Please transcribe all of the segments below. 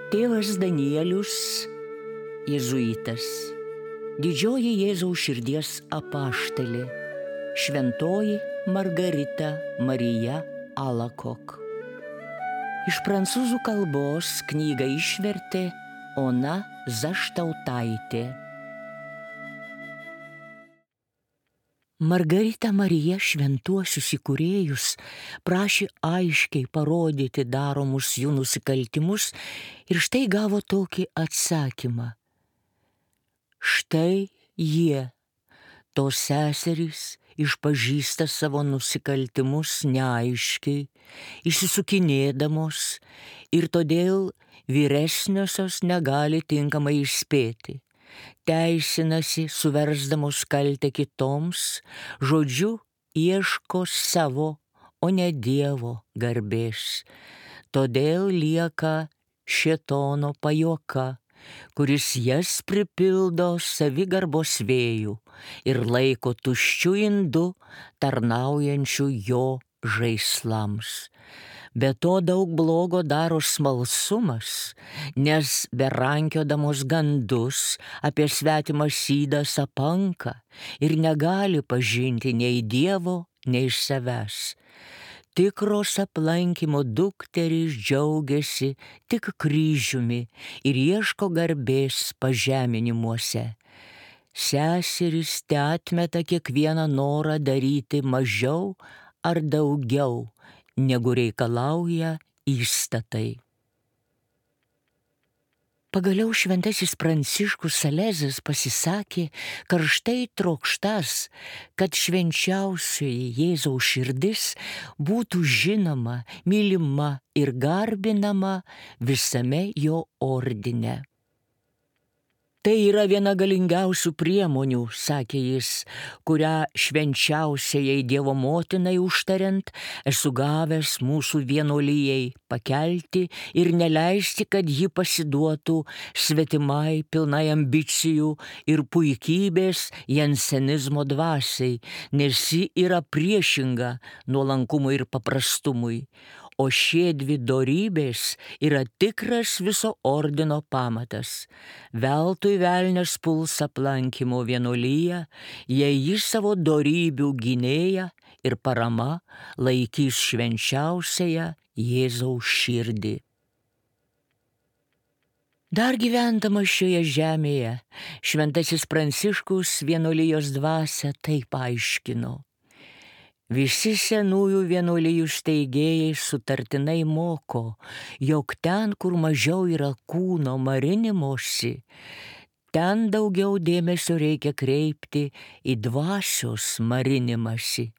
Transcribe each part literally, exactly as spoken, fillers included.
Tėvas Danielius, jėzuitas, didžioji Jėzaus širdies apaštalė, šventoji Margarita Marija Alacoque. Iš prancūzų kalbos knygą išvertė Ona Zaštautaitė. Margarita Marija šventuosius įkūrėjus prašė aiškiai parodyti daromus jų nusikaltimus ir štai gavo tokį atsakymą. Štai jie, tos seserys, išpažįsta savo nusikaltimus neaiškiai, išsisukinėdamos ir todėl vyresniosios negali tinkamai įspėti. Teisinasi, suversdamos kaltę kitoms, žodžiu, ieško savo, o ne Dievo garbės. Todėl lieka šėtono pajuoka, kuris jas pripildo savigarbos vėjų ir laiko tuščiu indu tarnaujančių jo žaislams. Be to daug blogo daro smalsumas, nes berankiodamos gandus apie svetimą sydą sapanka ir negali pažinti nei Dievo, nei savęs. Tikros aplankymo dukterys džiaugiasi tik kryžiumi ir ieško garbės pažeminimuose. Seserys teatmeta kiekvieną norą daryti mažiau ar daugiau, negu reikalauja įstatai. Pagaliau šventasis Pranciškus Salezas pasisakė karštai trokštas, kad švenčiausioji Jėzaus širdis būtų žinoma, mylima ir garbinama visame jo ordine. Tai yra viena galingiausių priemonių, sakė jis, kurią švenčiausiajai Dievo motinai užtariant esu gavęs mūsų vienuolijai pakelti ir neleisti, kad ji pasiduotų svetimai pilnai ambicijų ir puikybės jansenizmo dvasiai, nes ji yra priešinga nuolankumui ir paprastumui. O šie dvi dorybės yra tikras viso ordino pamatas. Veltui velnias puls aplankymo vienuoliją, jei jis savo dorybių gynėja ir parama laikys švenčiausiąją Jėzaus širdį. Dar gyvendamas šioje žemėje, šventasis Pranciškus vienuolijos dvasią taip aiškino. Visi senųjų vienuolijų steigėjai sutartinai moko, jog ten, kur mažiau yra kūno marinimosi, ten daugiau dėmesio reikia kreipti į dvasios marinimąsi.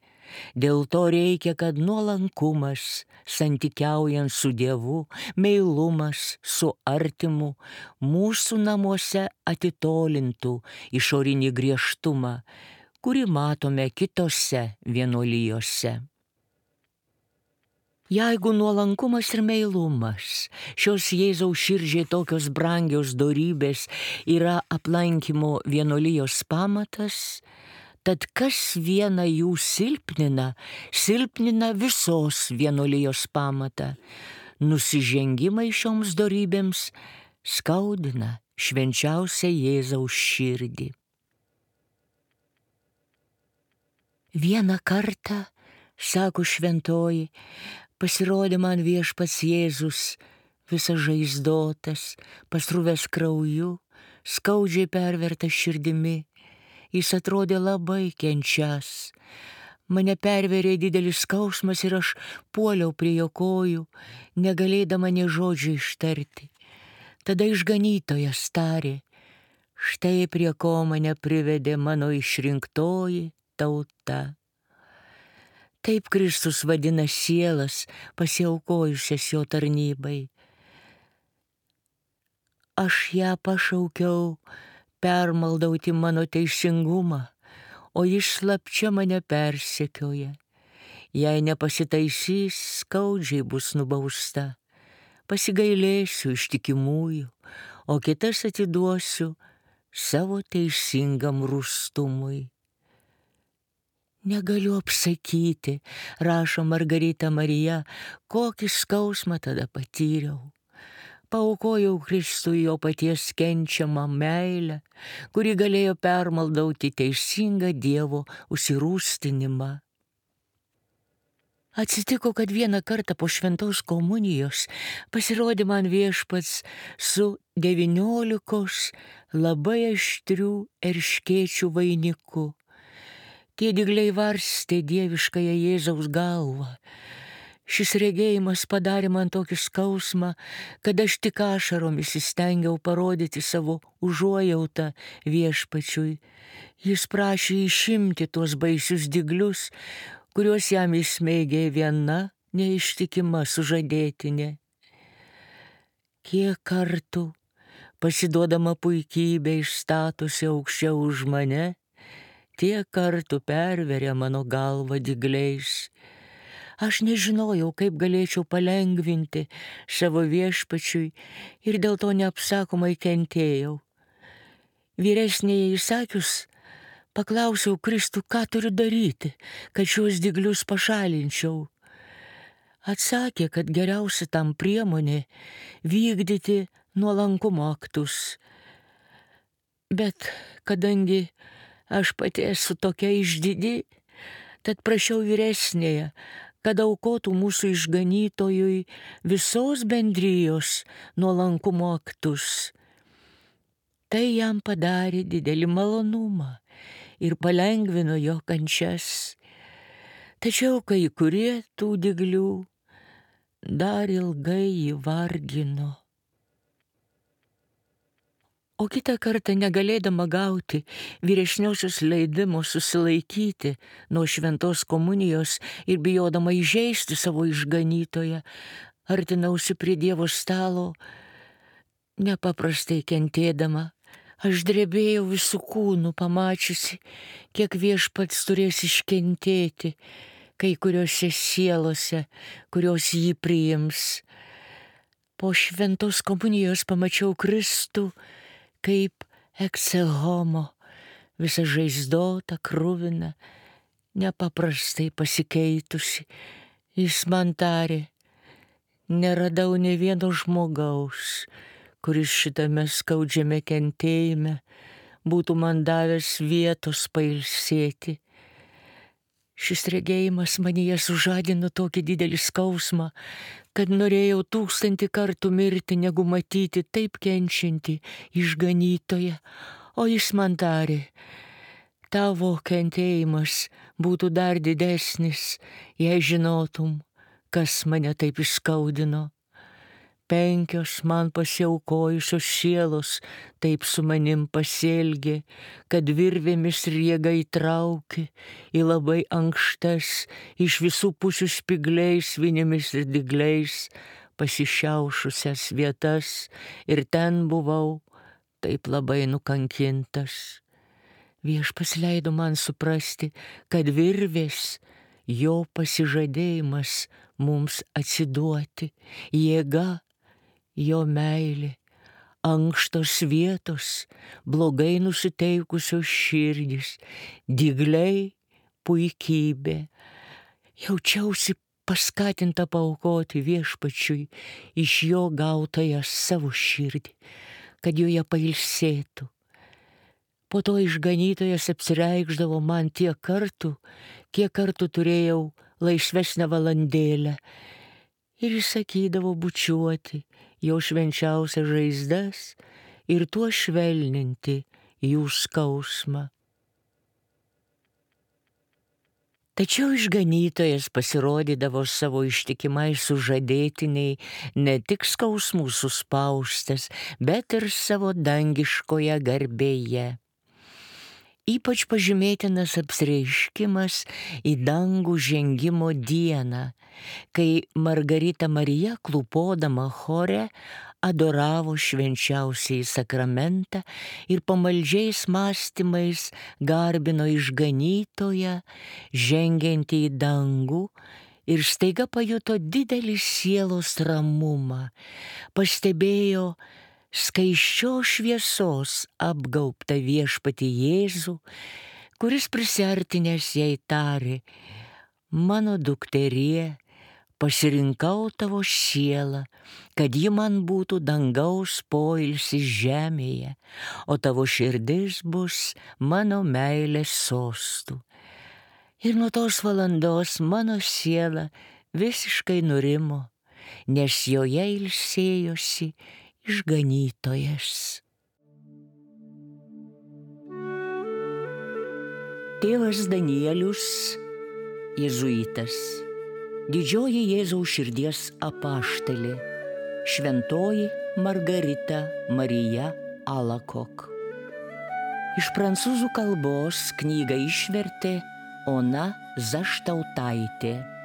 Dėl to reikia, kad nuolankumas, santykiaujant su Dievu, meilumas su artimu, mūsų namuose atitolintų išorinį griežtumą, kurį matome kitose vienuolijose. Jeigu nuolankumas ir meilumas, šios Jėzaus širdžiai tokios brangios dorybės, yra aplankymo vienuolijos pamatas, tad kas vieną jų silpnina, silpnina visos vienuolijos pamatą. Nusižengimai šioms dorybėms skaudina švenčiausią Jėzaus širdį. Vieną kartą, sako šventoji, pasirodė man viešpats Jėzus, visas žaizdotas, pasruvęs krauju, skaudžiai pervertas širdimi. Jis atrodė labai kenčias. Mane perverė didelis skausmas ir aš puoliau prie jo kojų, negalėdama nė žodžio ištarti. Tada išganytojas tarė, štai prie ko mane privedė mano išrinktoji tauta. Taip Kristus vadina sielas, pasiaukojusias jo tarnybai. Aš ją pašaukiau permaldauti mano teisingumą, o jis slapčia mane persekioja. Jei nepasitaisys, skaudžiai bus nubausta. Pasigailėsiu ištikimųjų, o kitas atiduosiu savo teisingam rūstumui. Negaliu apsakyti, rašo Margarita Marija, kokį skausmą tada patyriau. Paaukojau Kristui jo paties kenčiamą meilę, kuri galėjo permaldauti teisingą Dievo užsirūstinimą. Atsitiko, kad vieną kartą po šventos komunijos pasirodė man Viešpats su devyniolikos labai aštrių erškėčių vainiku. Tie dygliai varstė dieviškąją Jėzaus galvą. Šis regėjimas padarė man tokį skausmą, kad aš tik ašaromis įstengiau parodyti savo užuojautą Viešpačiui. Jis prašė išimti tuos baisius dyglius, kuriuos jam įsmeigė viena neištikima sužadėtinė. Kiek kartų, pasiduodama puikybė išstatusi aukščiau už mane, tiek kartų perveria mano galvą dygliais. Aš nežinojau, kaip galėčiau palengvinti savo Viešpačiui ir dėl to neapsakomai kentėjau. Vyresnėje įsakius, paklausiau Kristų, ką turiu daryti, kad šios dyglius pašalinčiau. Atsakė, kad geriausia tam priemonė vykdyti nuolankumo aktus. Bet kadangi aš pati esu tokia išdidi, tad prašiau vyresnėje, kad aukotų mūsų išganytojui visos bendrijos nuolankumo aktus. Tai jam padarė didelį malonumą ir palengvino jo kančias. Tačiau kai kurie tų dyglių dar ilgai jį vargino. O kitą kartą negalėdama gauti vyresniosios leidimo susilaikyti nuo šventos komunijos ir bijodama įžeisti savo išganytoją, artinausi prie Dievo stalo, nepaprastai kentėdama. Aš drebėjau visų kūnų, pamačiusi, kiek Viešpats turės iškentėti kai kuriuose sielose, kurios jį priims. Po šventos komunijos pamačiau Kristų kaip exe homo, visą žaizdotą, kruviną, nepaprastai pasikeitusi. Jis man tarė, neradau ne vieno žmogaus, kuris šitame skaudžiame kentėjime būtų man davęs vietos pailsėti. Šis regėjimas manyje sužadino tokį didelį skausmą, kad norėjau tūkstantį kartų mirti, negu matyti taip kenčiantį išganytoją. O jis man tarė, tavo kentėjimas būtų dar didesnis, jei žinotum, kas mane taip įskaudino. Penkios man pasiaukojusios sielos taip su manim pasielgė, kad virvėmis riega įtraukė į labai ankštas, iš visų pusių spygliais, vinimis ir dygliais pasišiaušusias vietas, ir ten buvau taip labai nukankintas. Viešpats leido man suprasti, kad virvės jo pasižadėjimas mums atsiduoti, jėga jo meilė, ankštos vietos, blogai nusiteikusios širdys, dygliai, puikybė. Jaučiausi paskatinta paaukoti Viešpačiui iš jo gautąją savo širdį, kad joje pailsėtų. Po to išganytojas apsireikšdavo man tiek kartų, kiek kartų turėjau laisvesnę valandėlę, ir įsakydavo bučiuoti jo švenčiausias žaizdas ir tuo švelninti jų skausmą. Tačiau išganytojas pasirodydavo savo ištikimai sužadėtiniai ne tik skausmų suspaustas, bet ir savo dangiškoje garbėje. Ypač pažymėtinas apsireiškimas į dangų žengimo dieną, kai Margarita Marija, klūpodama chore, adoravo švenčiausiąjį sakramentą ir pamaldžiais mąstymais garbino išganytoją, žengiantį į dangų, ir staiga pajuto didelį sielos ramumą, pastebėjo skaisčios šviesos apgaubtą Viešpatį Jėzų, kuris prisiartinęs jai tarė, mano dukterie, pasirinkau tavo sielą, kad ji man būtų dangaus poilsis žemėje, o tavo širdis bus mano meilės sostų. Ir nuo tos valandos mano siela visiškai nurimo, nes joje ilsėjosi išganytojas. Tėvas Danielius, jėzuitas, didžioji Jėzaus širdies apaštalė, šventoji Margarita Marija Alakok. Iš prancūzų kalbos knygą išvertė Ona Zaštautaitė.